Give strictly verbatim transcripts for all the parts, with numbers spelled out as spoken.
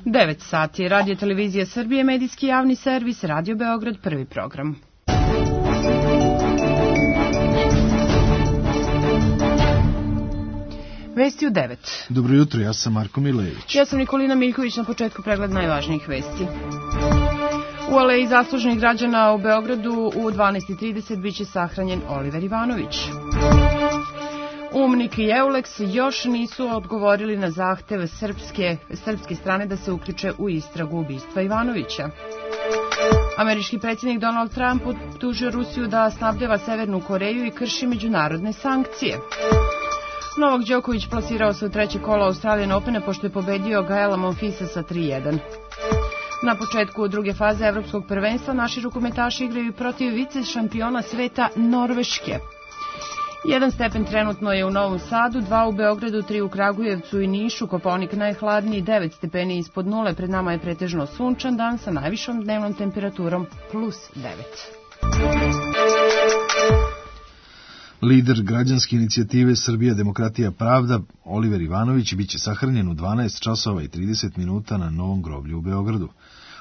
devet sati, Radio Televizija Srbije, medijski javni servis, Radio Beograd, prvi program. Vesti u devet. Dobro jutro, ja sam Marko Milejević. Ja sam Nikolina Miljković, na početku pregled najvažnijih vesti. U aleji zaslužnih građana u Beogradu u dvanaest i trideset biće sahranjen Oliver Ivanović. Umnik i Euleks još nisu odgovorili na zahtev srpske, srpske strane da se uključe u istragu ubistva Ivanovića. Američki predsjednik Donald Trump optužio Rusiju da snabdeva Severnu Koreju i krši međunarodne sankcije. Novak Đoković plasirao se u treće kolo Australian Opena pošto je pobedio Gaela Monfilsa sa tri jedan. Na početku druge faze evropskog prvenstva naši rukometaši igraju protiv vice šampiona sveta Norveške. Jedan stepen trenutno je u Novom Sadu, dva u Beogradu, tri u Kragujevcu i Nišu, Kopaonik najhladniji, devet stepeni ispod nule, pred nama je pretežno sunčan dan sa najvišom dnevnom temperaturom plus devet. Lider građanske inicijative Srbija, demokratija, pravda, Oliver Ivanović, biće sahranjen u dvanaest časova i trideset minuta na Novom groblju u Beogradu.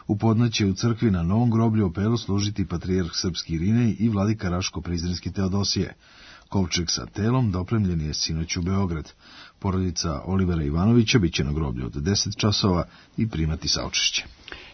U podne će u crkvi na Novom groblju Opelu služiti patrijarh srpski Irinej i vladika Raško-Prizrenski Teodosije. Kovčeg sa telom dopremljen je sinoć u Beograd. Porodica Olivera Ivanovića biće na groblju od deset časova i primati saučešće.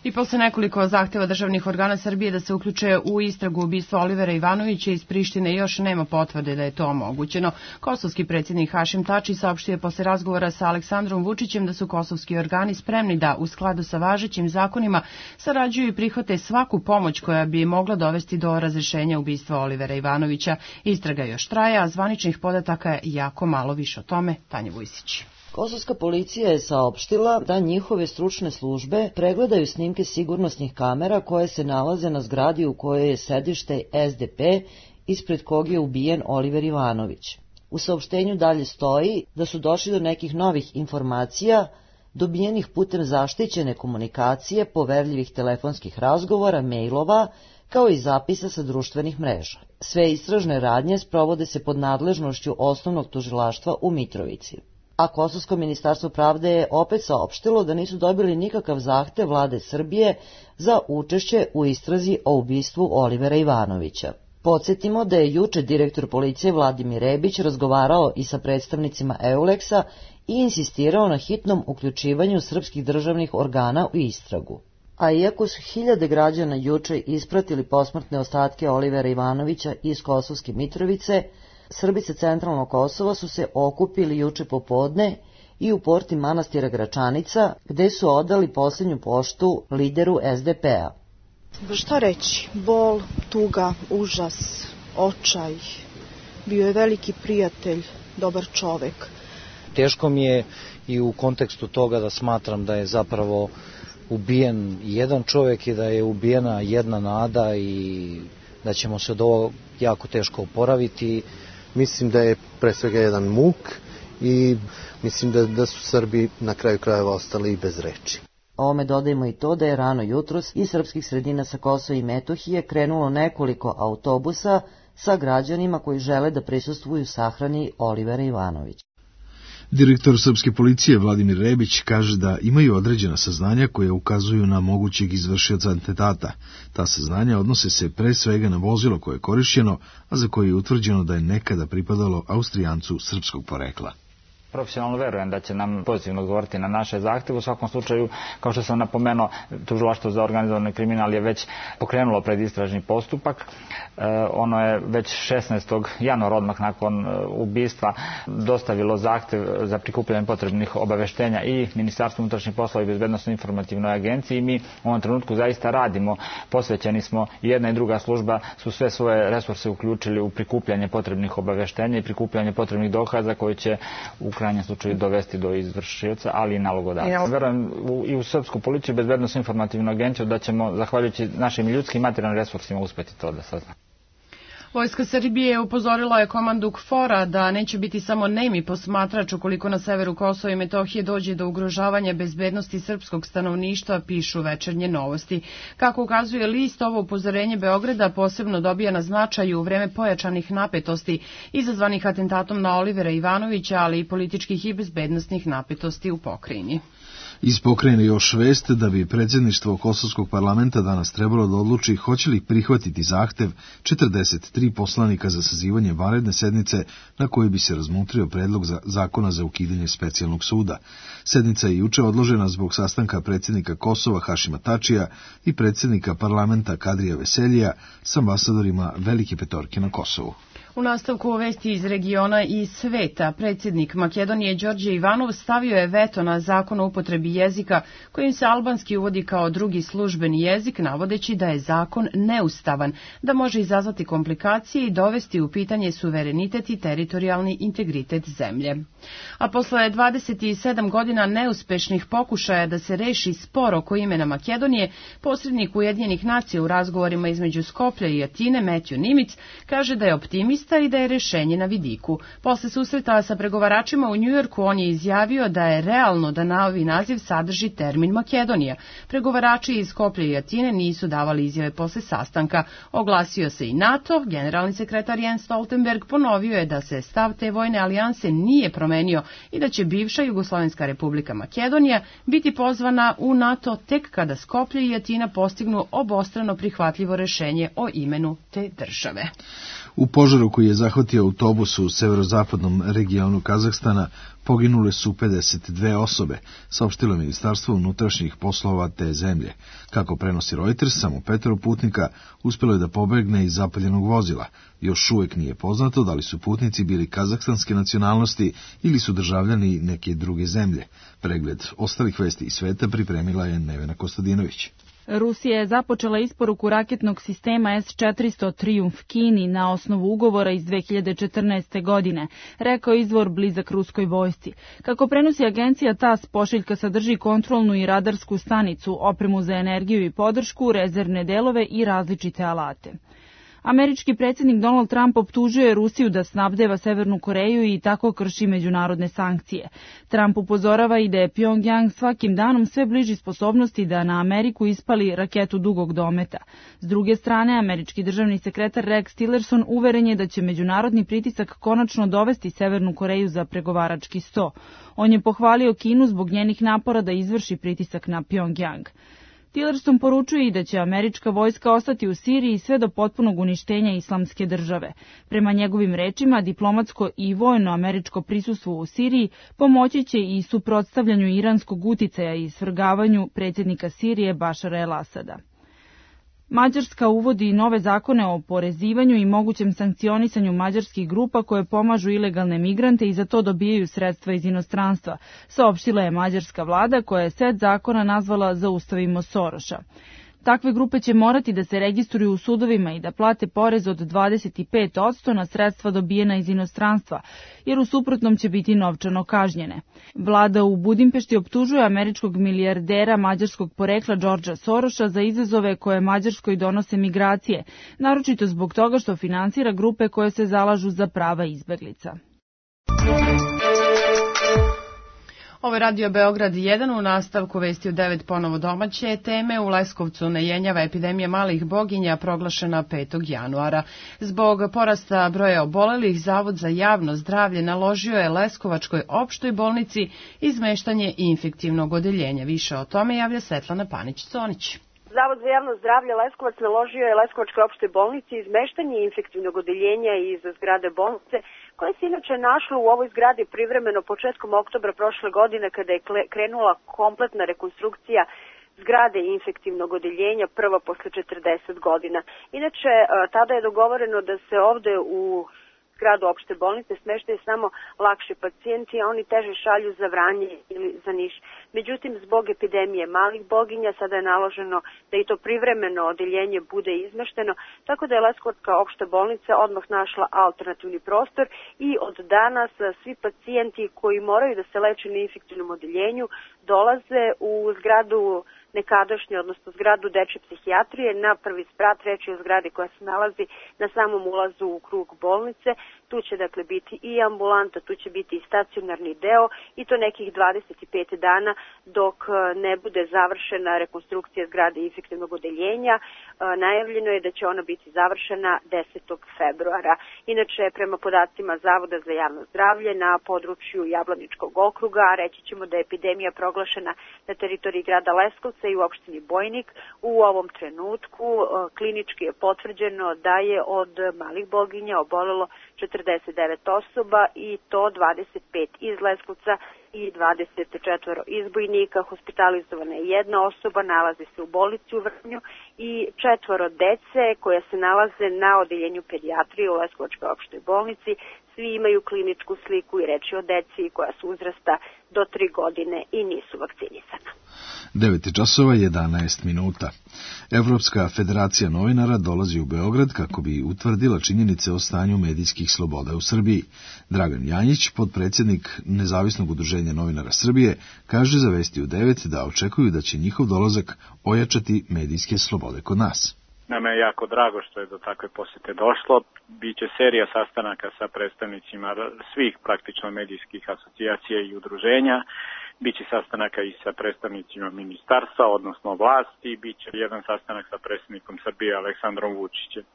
I posle nekoliko zahteva državnih organa Srbije da se uključe u istragu ubistva Olivera Ivanovića iz Prištine još nema potvrde da je to omogućeno. Kosovski predsjednik Hašim Tači saopštio je posle razgovora sa Aleksandrom Vučićem da su kosovski organi spremni da u skladu sa važećim zakonima sarađuju i prihvate svaku pomoć koja bi mogla dovesti do razrešenja ubistva Olivera Ivanovića. Istraga još traje, a zvaničnih podataka je jako malo. Više o tome Tanja Vujsić. Kosovska policija je saopštila da njihove stručne službe pregledaju snimke sigurnosnih kamera koje se nalaze na zgradi u kojoj je sedište S D P, ispred kog je ubijen Oliver Ivanović. U saopštenju dalje stoji da su došli do nekih novih informacija dobijenih putem zaštićene komunikacije, poverljivih telefonskih razgovora, mailova, kao i zapisa sa društvenih mreža. Sve istražne radnje sprovode se pod nadležnošću osnovnog tužilaštva u Mitrovici. A Kosovsko ministarstvo pravde je opet saopštilo da nisu dobili nikakav zahtev vlade Srbije za učešće u istrazi o ubistvu Olivera Ivanovića. Podsjetimo da je juče direktor policije Vladimir Rebić razgovarao i sa predstavnicima Euleksa i insistirao na hitnom uključivanju srpskih državnih organa u istragu. A iako su hiljade građana juče ispratili posmrtne ostatke Olivera Ivanovića iz Kosovske Mitrovice, Srbi sa centralnog Kosova su se okupili juče popodne i u porti manastira Gračanica, gde su odali posljednju poštu lideru S D P-a. Šta reći? Bol, tuga, užas, očaj. Bio je veliki prijatelj, dobar čovek. Teško mi je i u kontekstu toga da smatram da je zapravo ubijen jedan čovek i da je ubijena jedna nada i da ćemo se od ovo jako teško oporaviti. Mislim da je pre svega jedan muk i mislim da, da su Srbi na kraju krajeva ostali i bez reči. Ovome dodajemo i to da je rano jutros iz srpskih sredina sa Kosova i Metohije krenulo nekoliko autobusa sa građanima koji žele da prisustvuju sahrani Olivera Ivanovića. Direktor srpske policije Vladimir Rebić kaže da imaju određena saznanja koje ukazuju na mogućeg izvršioca atentata. Ta saznanja odnose se pre svega na vozilo koje je korišćeno, a za koje je utvrđeno da je nekada pripadalo Austrijancu srpskog porekla. Profesionalno verujem da će nam pozitivno odgovoriti na naše zahteve. U svakom slučaju, kao što sam napomenuo, Tužilaštvo za organizovani kriminal je već pokrenulo predistražni postupak. E, ono je već šesnaestog januara, odmah nakon ubistva, dostavilo zahtev za prikupljanje potrebnih obaveštenja i Ministarstvu unutrašnjih poslova i Bezbednosno-informativnoj agenciji. Mi u ovom trenutku zaista radimo, posvećeni smo, i jedna i druga služba su sve svoje resurse uključili u prikupljanje potrebnih obaveštenja i prikupljanje potrebnih dokaza koji će u krajnjem slučaju dovesti do izvršioca, ali i nalogodavca. Verujem i u srpsku policiju i Bezbednosno-informativnu agenciju da ćemo, zahvaljujući našim ljudskim i materijalnim resursima, uspeti to da saznamo. Vojska Srbije upozorila je komandu KFOR-a da neće biti samo nemi posmatrač ukoliko na severu Kosova i Metohije dođe do ugrožavanja bezbednosti srpskog stanovništva, pišu Večernje novosti. Kako ukazuje list, ovo upozorenje Beograda posebno dobija na značaju u vreme pojačanih napetosti izazvanih atentatom na Olivera Ivanovića, ali i političkih i bezbednostnih napetosti u pokrajini. Iz pokrajine još vest da bi predsjedništvo Kosovskog parlamenta danas trebalo da odluči hoće li prihvatiti zahtev četrdeset tri poslanika za sazivanje vanredne sednice na kojoj bi se razmutrio predlog za zakona za ukidanje specijalnog suda. Sednica je juče odložena zbog sastanka predsjednika Kosova Hašima Tačija i predsjednika parlamenta Kadrija Veseljija s ambasadorima Velike Petorke na Kosovu. U nastavku vesti iz regiona i sveta, predsjednik Makedonije Đorđe Ivanov stavio je veto na zakon o upotrebi jezika kojim se albanski uvodi kao drugi službeni jezik, navodeći da je zakon neustavan, da može izazvati komplikacije i dovesti u pitanje suverenitet i teritorijalni integritet zemlje. A posle dvadeset sedam godina neuspešnih pokušaja da se reši spor oko imena Makedonije, posrednik Ujedinjenih nacija u razgovorima između Skoplja i Atine, Matthew Nimitz, kaže da je optimist i da je rešenje na vidiku. Posle susreta sa pregovaračima u Njujorku on je izjavio da je realno da novi naziv sadrži termin Makedonija. Pregovarači iz Skoplja i Atine nisu davali izjave posle sastanka. Oglasio se i NATO, generalni sekretar Jens Stoltenberg ponovio je da se stav te vojne alijanse nije promenio i da će bivša Jugoslovenska republika Makedonija biti pozvana u NATO tek kada Skoplje i Atina postignu obostrano prihvatljivo rešenje o imenu te države. U požaru koji je zahvatio autobus u severozapadnom regionu Kazahstana poginule su pedeset dve osobe, saopštilo Ministarstvo unutrašnjih poslova te zemlje. Kako prenosi Reuters, samo petoro putnika uspjelo je da pobegne iz zapaljenog vozila. Još uvijek nije poznato da li su putnici bili kazahstanske nacionalnosti ili su državljani neke druge zemlje. Pregled ostalih vesti iz sveta pripremila je Nevena Kostadinović. Rusija je započela isporuku raketnog sistema S četiristo Triumf Kini na osnovu ugovora iz dve hiljade četrnaeste. godine, rekao izvor blizak ruskoj vojsci. Kako prenosi agencija TASS, pošiljka sadrži kontrolnu i radarsku stanicu, opremu za energiju i podršku, rezervne delove i različite alate. Američki predsjednik Donald Trump optužuje Rusiju da snabdeva Severnu Koreju i tako krši međunarodne sankcije. Trump upozorava i da je Pjongjang svakim danom sve bliži sposobnosti da na Ameriku ispali raketu dugog dometa. S druge strane, američki državni sekretar Rex Tillerson uveren je da će međunarodni pritisak konačno dovesti Severnu Koreju za pregovarački sto. On je pohvalio Kinu zbog njenih napora da izvrši pritisak na Pjongjang. Tillerson poručuje i da će američka vojska ostati u Siriji sve do potpunog uništenja islamske države. Prema njegovim rečima, diplomatsko i vojno američko prisustvo u Siriji pomoći će i suprotstavljanju iranskog uticaja i svrgavanju predsjednika Sirije Bašara el-Asada. Mađarska uvodi nove zakone o porezivanju i mogućem sankcionisanju mađarskih grupa koje pomažu ilegalne migrante i za to dobijaju sredstva iz inostranstva, saopštila je mađarska vlada koja je set zakona nazvala Zaustavimo Soroša. Takve grupe će morati da se registruju u sudovima i da plate porez od dvadeset pet posto na sredstva dobijena iz inostranstva, jer u suprotnom će biti novčano kažnjene. Vlada u Budimpešti optužuje američkog milijardera mađarskog porekla Đorđa Soroša za izazove koje Mađarskoj donose migracije, naročito zbog toga što finansira grupe koje se zalažu za prava izbeglica. Ovo je Radio Beograd jedan, u nastavku vesti u devet ponovo domaće teme. U Leskovcu ne jenjava epidemija malih boginja proglašena petog januara. Zbog porasta broja obolelih, Zavod za javno zdravlje naložio je Leskovačkoj opštoj bolnici izmeštanje infektivnog odeljenja. Više o tome javlja Svetlana Panić-Conić. Zavod za javno zdravlje Leskovac naložio je Leskovačkoj opštoj bolnici izmeštanje infektivnog odeljenja iz zgrade bolnice, koje se inače našlo u ovoj zgradi privremeno početkom oktobra prošle godine kada je krenula kompletna rekonstrukcija zgrade infektivnog odeljenja, prva posle četrdeset godina. Inače, tada je dogovoreno da se ovde u zgradu opšte bolnice smeštaju samo lakši pacijenti, a oni teže šalju za Vranje ili za Niš. Međutim, zbog epidemije malih boginja sada je naloženo da i to privremeno odeljenje bude izmešteno, tako da je Leskovačka opšta bolnica odmah našla alternativni prostor i od danas svi pacijenti koji moraju da se leče na infektivnom odeljenju dolaze u zgradu nekadašnje, odnosno zgradu dečje psihijatrije. Na prvi sprat reč je o zgradi koja se nalazi na samom ulazu u krug bolnice. Tu će dakle biti i ambulanta, tu će biti i stacionarni deo i to nekih dvadeset pet dana dok ne bude završena rekonstrukcija zgrade infektivnog odeljenja. Najavljeno je da će ona biti završena desetog februara. Inače, prema podacima Zavoda za javno zdravlje na području Jablaničkog okruga, reći ćemo da je epidemija proglašena na teritoriji grada Leskovca i u opštini Bojnik. U ovom trenutku klinički je potvrđeno da je od malih boginja obolelo četrdeset devet osoba i to dvadeset pet iz Leskovca i dvadeset četiri iz Bojnika. Hospitalizovana je jedna osoba, nalazi se u bolnici u Vrnju i četvoro dece koja se nalaze na odeljenju pedijatrije u Leskovačkoj opštoj bolnici. Svi imaju kliničku sliku i reč je o deci koja su uzrasta do tri godine i nisu vakcinisana. devet časova i jedanaest minuta. Evropska federacija novinara dolazi u Beograd kako bi utvrdila činjenice o stanju medijskih sloboda u Srbiji. Dragan Janjić, podpredsjednik Nezavisnog udruženja novinara Srbije, kaže za Vesti u devet da očekuju da će njihov dolazak ojačati medijske slobode kod nas. Nama je jako drago što je do takve posete došlo. Biće serija sastanaka sa predstavnicima svih praktično medijskih asocijacija i udruženja. Biće sastanaka i sa predstavnicima ministarstva, odnosno vlasti. Biće jedan sastanak sa predsjednikom Srbije Aleksandrom Vučićem.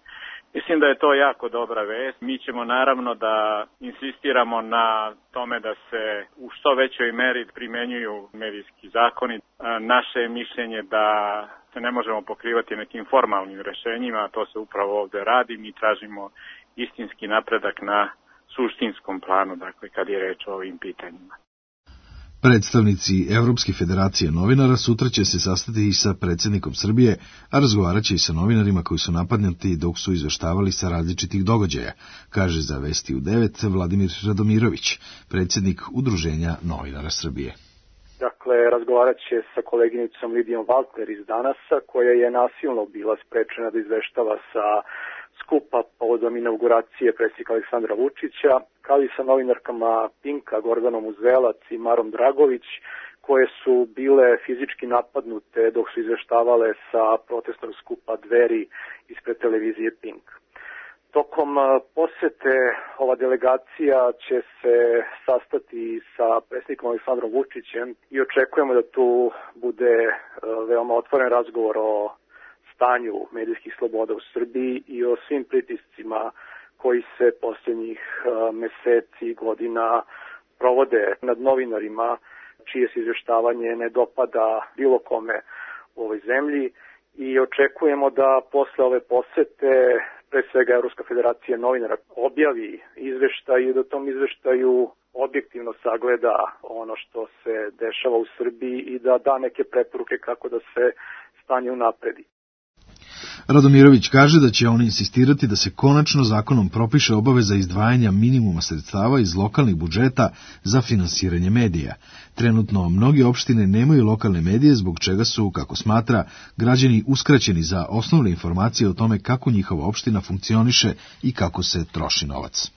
Mislim da je to jako dobra vest. Mi ćemo naravno da insistiramo na tome da se u što većoj meri primenjuju medijski zakoni. Naše je mišljenje da se ne možemo pokrivati nekim formalnim rešenjima, a to se upravo ovde radi. Mi tražimo istinski napredak na suštinskom planu, dakle kad je reč o ovim pitanjima. Predstavnici Evropske federacije novinara sutra će se sastati i sa predsjednikom Srbije, a razgovarat će i sa novinarima koji su napadnuti dok su izveštavali sa različitih događaja, kaže za Vesti u devet Vladimir Radomirović, predsjednik Udruženja novinara Srbije. Dakle, razgovarat će sa koleginicom Lidijom Valtler iz Danasa, koja je nasilno bila sprečena da izveštava sa skupa povodom inauguracije predsjednika Aleksandra Vučića, kao i sa novinarkama Pinka, Gordanom Uzelac i Marom Dragović, koje su bile fizički napadnute dok su izveštavale sa protestnog skupa Dveri ispred televizije Pink. Tokom posete ova delegacija će se sastati sa predsjednikom Aleksandrom Vučićem i očekujemo da tu bude veoma otvoren razgovor o stanju medijskih sloboda u Srbiji i o svim pritiscima koji se posljednjih meseci i godina provode nad novinarima, čije se izveštavanje ne dopada bilo kome u ovoj zemlji, i očekujemo da posle ove posete pre svega Evropska federacija novinara objavi izveštaj i da u tom izveštaju objektivno sagleda ono što se dešava u Srbiji i da da neke preporuke kako da se stanje unapredi. Radomirović kaže da će on insistirati da se konačno zakonom propiše obaveza izdvajanja minimuma sredstava iz lokalnih budžeta za finansiranje medija. Trenutno mnogi opštine nemaju lokalne medije, zbog čega su, kako smatra, građani uskraćeni za osnovne informacije o tome kako njihova opština funkcioniše i kako se troši novac.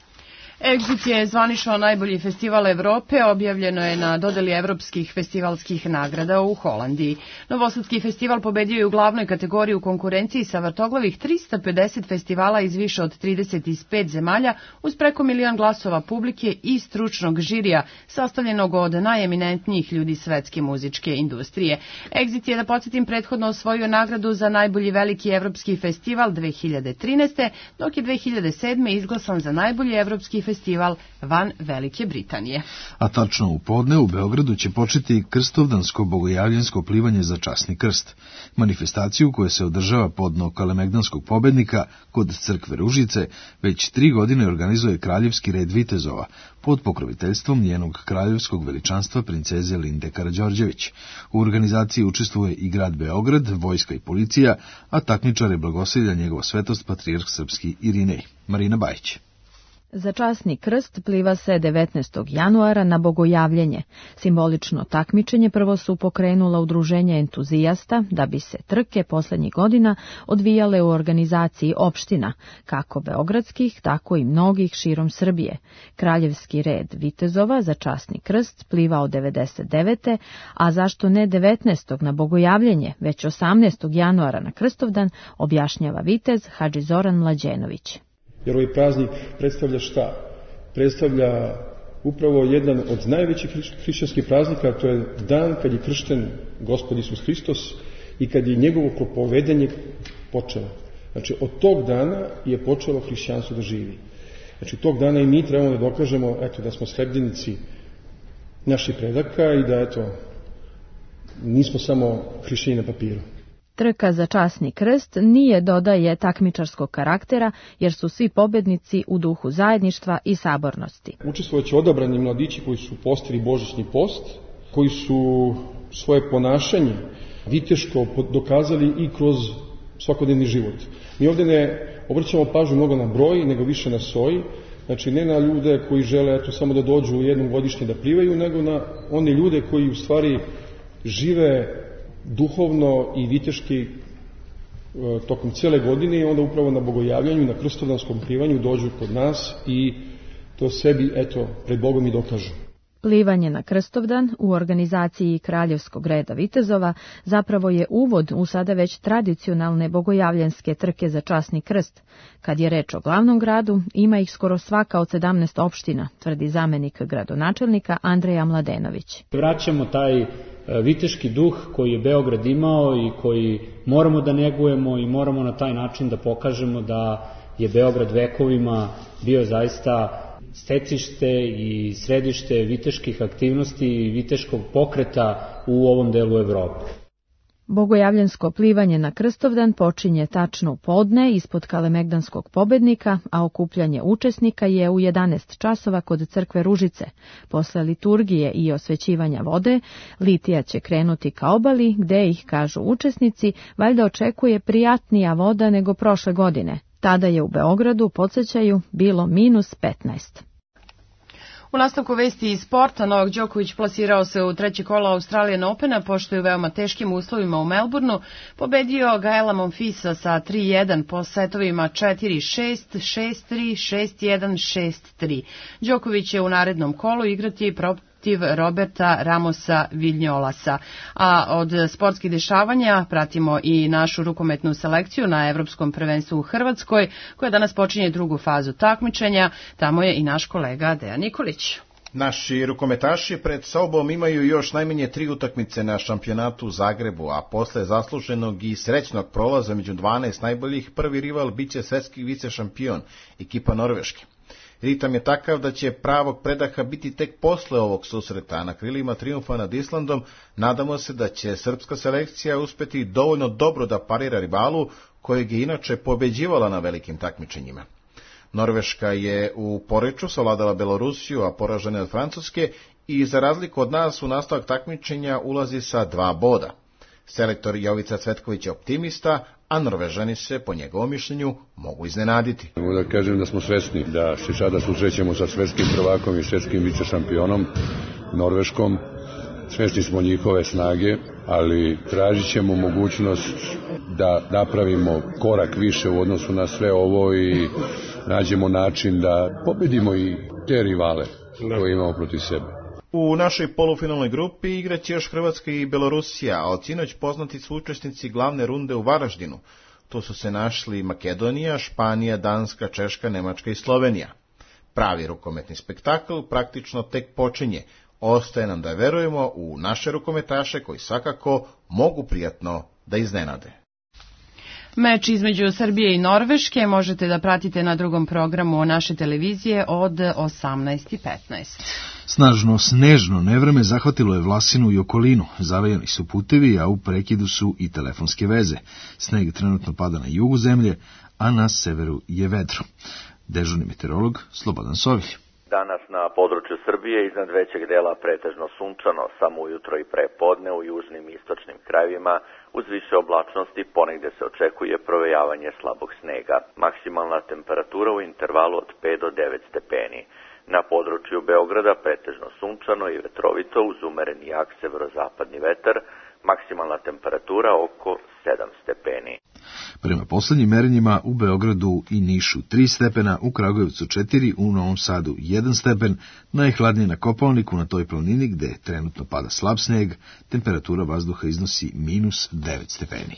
Exit je zvanično najbolji festival Evrope, objavljeno je na dodeli evropskih festivalskih nagrada u Holandiji. Novosadski festival pobedio je u glavnoj kategoriji u konkurenciji sa vrtoglavih trista pedeset festivala iz više od trideset pet zemalja, uz preko milion glasova publike i stručnog žirija, sastavljenog od najeminentnijih ljudi svetske muzičke industrije. Exit je, da podsjetim, prethodno osvojio nagradu za najbolji veliki evropski festival dve hiljade trinaeste. dok je dve hiljade sedme. izglasan za najbolji evropski festival festival van Velike Britanije. A tačno u podne u Beogradu će početi krstovdansko bogojavljensko plivanje za časni krst. Manifestaciju koja se održava podno Kalemegdanskog pobednika kod crkve Ružice već tri godine organizuje Kraljevski red vitezova pod pokroviteljstvom njenog kraljevskog veličanstva princeze Linde Karađorđević. U organizaciji učestvuje i grad Beograd, vojska i policija, a takmičare blagoslivlja njegova svetost patrijarh srpski Irinej. Marina Bajić. Za časni krst pliva se devetnaestog januara na Bogojavljenje. Simbolično takmičenje prvo su pokrenula udruženja entuzijasta, da bi se trke poslednjih godina odvijale u organizaciji opština, kako beogradskih, tako i mnogih širom Srbije. Kraljevski red vitezova za časni krst pliva od devedeset devete. a zašto ne devetnaestog na Bogojavljenje, već osamnaestog januara na Krstovdan, objašnjava vitez Hadži Zoran Mlađenović. Jer ovaj praznik predstavlja šta? Predstavlja upravo jedan od najvećih hrišćanskih praznika, to je dan kad je kršten Gospod Isus Hristos i kad je njegovo propovedanje počelo. Znači, od tog dana je počelo hrišćanstvo da živi. Znači, tog dana i mi trebamo da dokažemo, eto, da smo sledbenici naših predaka i da, eto, nismo samo hrišćani na papiru. Trka za časni krst nije, dodaje, takmičarskog karaktera, jer su svi pobednici u duhu zajedništva i sabornosti. Učestvovaće odabrani mladići koji su postili božićni post, koji su svoje ponašanje viteško dokazali i kroz svakodnevni život. Mi ovdje ne obraćamo pažnju mnogo na broj, nego više na soj, znači ne na ljude koji žele eto, samo da dođu jednom godišnje da plivaju, nego na one ljude koji u stvari žive duhovno i viteški tokom cijele godine i onda upravo na Bogojavljanju, na Krstovdanskom plivanju dođu kod nas i to sebi, eto, pred Bogom i dokažu. Plivanje na Krstovdan u organizaciji Kraljevskog reda vitezova zapravo je uvod u sada već tradicionalne bogojavljanske trke za časni krst. Kad je reč o glavnom gradu, ima ih skoro svaka od sedamnaest opština, tvrdi zamenik gradonačelnika Andreja Mladenović. Vraćamo taj viteški duh koji je Beograd imao i koji moramo da negujemo i moramo na taj način da pokažemo da je Beograd vekovima bio zaista stecište i središte viteških aktivnosti i viteškog pokreta u ovom delu Evrope. Bogojavljansko plivanje na Krstovdan počinje tačno u podne ispod Kalemegdanskog pobednika, a okupljanje učesnika je u jedanaest časova kod crkve Ružice. Posle liturgije i osvećivanja vode, litija će krenuti ka obali, gde ih, kažu učesnici, valjda očekuje prijatnija voda nego prošle godine. Tada je u Beogradu, podsjećaju, bilo minus petnaest. U nastavku vesti iz sporta, Novak Đoković plasirao se u treće kolo Australian Opena, pošto je u veoma teškim uslovima u Melbourneu pobedio Gaela Monfilsa sa tri jedan po setovima četiri šest, šest tri, šest jedan, šest tri. Đoković će u narednom kolu igrati protiv Roberta Ramosa Viljolasa. A od sportskih dešavanja pratimo i našu rukometnu selekciju na Evropskom prvenstvu u Hrvatskoj, koja danas počinje drugu fazu takmičenja. Tamo je i naš kolega Dejan Nikolić. Naši rukometaši pred sobom imaju još najmanje tri utakmice na šampionatu u Zagrebu, a posle zasluženog i srećnog prolaza među dvanaest najboljih, prvi rival biće svetski vice šampion, ekipa Norveške. Ritam je takav da će pravog predaha biti tek posle ovog susreta. Na krilima trijumfa nad Islandom nadamo se da će srpska selekcija uspeti dovoljno dobro da parira rivalu, kojeg je inače pobeđivala na velikim takmičenjima. Norveška je u Poreču savladala Belorusiju, a poražena od Francuske, i za razliku od nas u nastavak takmičenja ulazi sa dva boda. Selektor Jovica Cvetković je optimista, a Norvežani se, po njegovom mišljenju, mogu iznenaditi. Mogu da kažem da smo svesni da se sada susrećemo sa svetskim prvakom i svetskim vicešampionom Norveškom. Svesni smo njihove snage, ali tražit ćemo mogućnost da napravimo korak više u odnosu na sve ovo i nađemo način da pobedimo i te rivale koje imamo protiv sebe. U našoj polufinalnoj grupi igraće još Hrvatska i Belorusija, a od sinoć poznati su učesnici glavne runde u Varaždinu. Tu su se našli Makedonija, Španija, Danska, Češka, Nemačka i Slovenija. Pravi rukometni spektakl praktično tek počinje. Ostaje nam da verujemo u naše rukometaše koji svakako mogu prijatno da iznenade. Meč između Srbije i Norveške možete da pratite na drugom programu naše televizije od osamnaest i petnaest. Snažno snežno nevreme zahvatilo je Vlasinu i okolinu. Zavejani su putevi, a u prekidu su i telefonske veze. Sneg trenutno pada na jugu zemlje, a na severu je vedro. Dežurni meteorolog Slobodan Sovilj. Danas na području Srbije iznad većeg dela pretežno sunčano, samo ujutro i prepodne u južnim i istočnim krajevima uz više oblačnosti ponegde se očekuje provejavanje slabog snega. Maksimalna temperatura u intervalu od pet do devet stepeni. Na području Beograda pretežno sunčano i vetrovito uz umereni jak severozapadni vetar, maksimalna temperatura oko sedam stepeni. Prema poslednjim merenjima u Beogradu i Nišu tri stepena, u Kragujevcu četiri, u Novom Sadu jedan stepen, najhladnije na Kopaoniku na toj planini gde trenutno pada slab sneg, temperatura vazduha iznosi minus devet stepeni.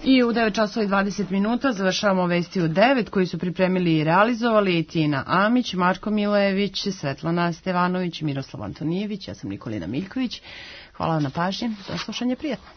I u devet časova i dvadeset minuta završavamo vesti u devet koji su pripremili i realizovali Tina Amić, Marko Milojević, Svetlana Stevanović, Miroslav Antonijević, ja sam Nikolina Miljković. Hvala vam na pažnji, za slušanje, prijatno.